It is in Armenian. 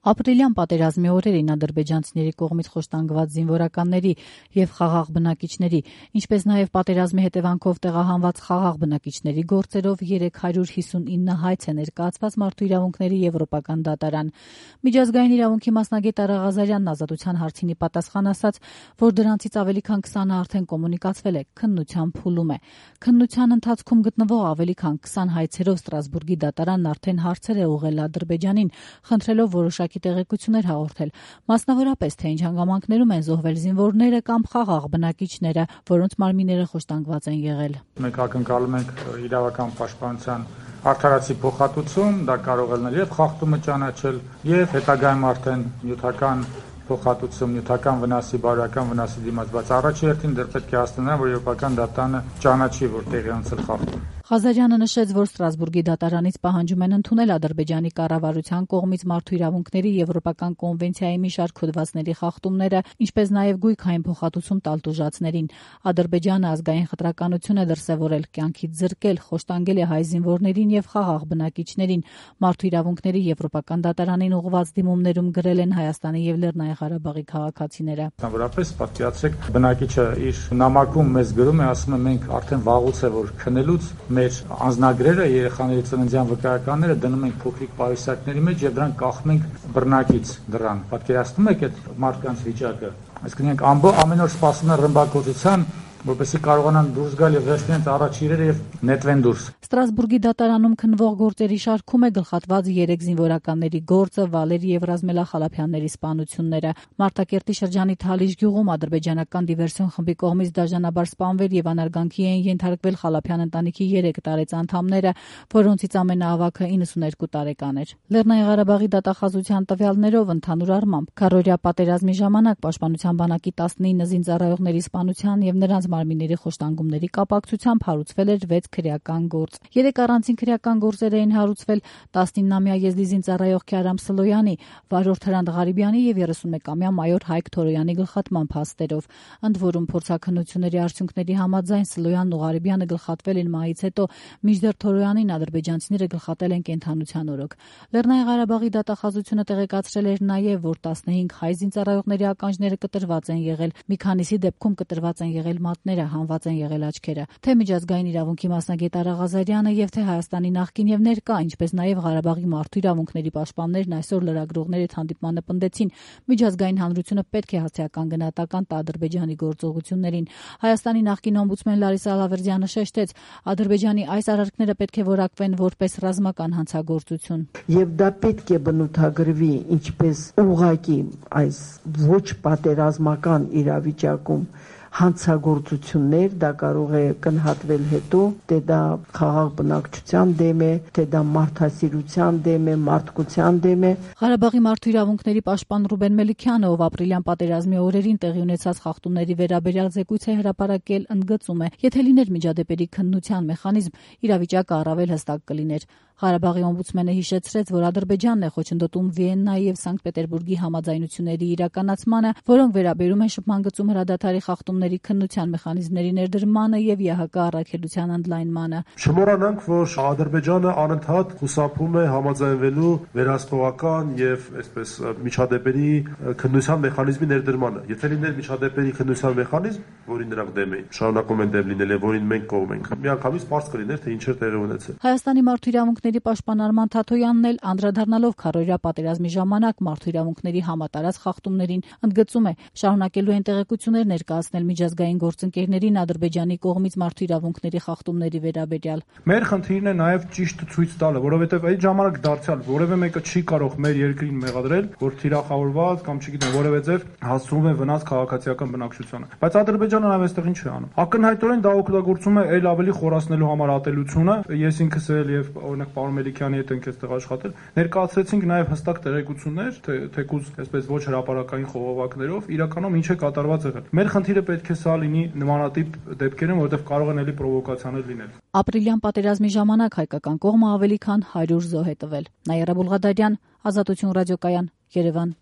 Ապրիլյան պատերազմի օրերին ադրբեջանցիների կողմից խոշտանգված զինվորականների և խաղաղ բնակիչների, ինչպես նաև պատերազմի հետևանքով տեղահանված խաղաղ բնակիչների գործերով 359 հայց է ներկայացված Մարդու իրավունքների եվրոպական դատարան։ Միջազգային իրավունքի մասնագետ Արա Ղազարյանն Ազատության հարցինի պատասխան ասաց, որ դրանցից ավելի քան 20-ը արդեն կոմունիկացվել է, քննության փուլում է։ Քննության ընթացքում գտնվող ավելի քան 20 հայցերով Ստրասբուրգի դատարանն արդեն հարցեր է ուղղել Ադրբեջանին, խնդրելով որոշակի տեղեկություններ հաղորդել, մասնավորապես թե ինչ հանգամանքներում են զոհվել զինվորները կամ խաղաղ բնակիչները, որոնց մարմինները խոշտանգված են եղել։ Մենք ակնկալում ենք իրավական պաշտպանության արդարացի փոխհատուցում, դա կարող է լինել եւ խախտումը ճանաչել, եւ հետագայում արդեն նյութական փոխհատուցում, նյութական վնասի, բարոյական վնասի դիմաց, բայց առաջի հերթին դեռ պետք է հասկանալ, որ եվրոպական դատարանը ճանաչի, որ տեղի ունեցել խախտում։ Ղազարյանը նշեց, որ Ստրասբուրգի դատարանից պահանջում են ընդունել Ադրբեջանի կառավարության կողմից Մարդու իրավունքների եվրոպական կոնվենցիայի մի շարք հոդվածների խախտումները, ինչպես նաև գույքային փոխհատուցում տալ տուժածներին։ Ադրբեջանը ազգային խտրականություն է դրսևորել, կյանքից զրկել, խոշտանգել է հայ զինվորներին եւ խաղաղ բնակիչներին։ Մարդու իրավունքների եվրոպական դատարանին ուղղված դիմումներում գրել են Հայաստանի եւ Լեռնային Ղարաբաղի քաղաքացիները։ Բնավորապես պատկերացրեք, բնակիչը իր նամակում մեզ գրում է, ասում է մենք արդեն վաղուց է որ քնելուց մեր անձնագրերը, երեխաների ծննդյան վկայականները դնում ենք փոքրիկ պայուսակների մեջ եւ դրանք կախում ենք բռնակից դրան։ Պատկերացնում եք այդ մարդկանց վիճակը։ Այսինքն իրենք ամեն օր սպասում են ռմբակոծության, որպեսզի կարողանան դուրս գալ եւ վերցնեն առաջ իրերը եւ նետվեն դուրս։ Ստրասբուրգի դատարանում քննվող գործերի շարքում է գլխատված 3 զինվորականների գործը, Վալերի եւ Ռազմելա Խալափյանների սպանությունները։ Մարտակերտի շրջանի Թալիշ գյուղում ադրբեջանական դիվերսիոն խմբի կողմից դաժանաբար սպանվել եւ անարգանքի էին ենթարկվել Խալափյան ընտանիքի 3 տարեց անդամները, որոնցից ամենաավագը 92 տարեկան էր։ Լեռնային Ղարաբաղի դատախազության տվյալներով ընդհանուր առմամբ քառօրյա պատերազմի ժամանակ Պաշտպանության բանակի 19 զինծառայողների սպանության եւ նրանց մարմինների խոշտանգումների կապակցությամբ հարուցվել էր 6 քրեական գործ։ 3 առանցին քրեական գործեր էին հարուցվել 19-ամյա եզդի զինծառայող Քյարամ Սլոյանի, վարորդ Հրանտ Ղարիբյանի եւ 31-ամյա մայոր Հայկ Թորոյանի գլխատման փաստերով։ Ընդ որում փորձաքննությունների արդյունքների համաձայն Սլոյանն ու Ղարիբյանը գլխատվել են մահից հետո, մինչդեռ Թորոյանին ադրբեջանցիները գլխատել են կենթանության օրոք։ Լեռնային Ղարաբաղի դատախազությունը տեղեկացրել էր նաեւ, որ 15 հայ զինծառայողների ականջները կտրված են եղել, մի քանիսի դեպքում կտրված են եղել մատները, հանված են եղել աչքերը։ Թե միջազգային իրավունքի մասնագետ Արա Ղազարյանը եւ թե Հայաստանի նախկին եւ ներկա, ինչպես նաեւ Ղարաբաղի մարդու իրավունքների պաշտպաններն այսօր լրագրողների հետ հանդիպմանը պնդեցին, միջազգային հանրությունը պետք է հաստատական գնահատական տա Ադրբեջանի գործողություններին։ Հայաստանի նախկին օմբուդսմեն Լարիսա Ալավերդյանը շեշտեց, Ադրբեջանի այս արարքները պետք է որակվեն որպես ռազմական հանցագործություն։ Եվ դա պետք է բնութագրվի ինչպես ուղղակի այս ոչ պատերազմական իրավիճակում հանցագործություններ, դա կարող է կնհատվել հետո, թե դա խաղաղ բնակչության դեմ է, թե դա մարդասիրության դեմ է, մարդկության դեմ է։ Ղարաբաղի մարդու իրավունքների պաշտպան Ռուբեն Մելիքյանը, ով ապրիլյան պատերազմի օրերին տեղի ունեցած խախտումների վերաբերյալ զեկույց է հրապարակել, ընդգծում է, եթե լիներ միջադեպերի քննության մեխանիզմ, իրավիճակը առավել հստակ կլիներ։ Ղարաբաղի օմբուդսմենը հիշեցրեց, որ Ադրբեջանն է խոչընդոտում Վիեննայի եւ Սանկտ Պետերբուրգի համաձայնությունների իրականացմանը, որոնք վերաբերում են շփման գծում հրադադարի խախտումների քննության մեխանիզմների ներդրմանը եւ ՀՀԿ առաքելության ընդլայնմանը։ Չմոռանանք, որ Ադրբեջանը անընդհատ խուսափում է համաձայնվելու վերահսկողական եւ այսպես միջադեպերի քննության մեխանիզմի ներդրմանը։ Եթե լիներ միջադեպերի քննության մեխանիզմ, որին նրանք դեմ էին, շարունակում են դեմ լինել եւ որին մենք կողմ ենք, միանգամից պարզ կլիներ, թե ինչեր տեղի ունեցել։ Հայաստանի մարդու իրավունքների պաշտպան Արման Թաթոյանն էլ անդրադառնալով քառօրյա պատերազմի ժամանակ մարդու իրավունքների համատարած խախտումներին ընդգծում է, շարունակելու են տեղեկություններ ներկայացնել միջազգային գործընկերներին Ադրբեջանի կողմից մարդու իրավունքների խախտումների վերաբերյալ։ Մեր խնդիրն է նաև ճիշտ ցույց տալը, որովհետև այդ ժամանակ դարձյալ որևէ մեկը չի կարող մեր երկրին մեղադրել, որ թիրախավորված կամ չգիտեմ որևէ ձև հասցվում է վնաս քաղաքացիական բնակչությանը։ Բայց Ադրբեջանը նաև այստեղ ինչ է անում։ Ակնհայտորեն դա օգտագործում է այլ ավելի խորացնելու համար ատելությունը։ Ես ինքս էլ եւ օրինակ պարոն Մելիքյանի հետ ենք այստեղ աշխատել, ներկայացրեցինք նաև հստակ տեղեկություններ, թեկուզ այսպես ոչ հրապարակային խողովակներով, իրականում ինչ է կատարված եղել։ Մեր խնդիրը պետք է սա լինի նմանատիպ դեպքերում, որովհետև կարող են էլի պրովոկացիաներ լինել։ Ապրիլյան պատերազմի ժամանակ հայկական կողմը ավելի քան 100 զոհ է տվել։ Նաիրա Բուլղադարյան, Ազատություն ռադիոկայան, Երևան։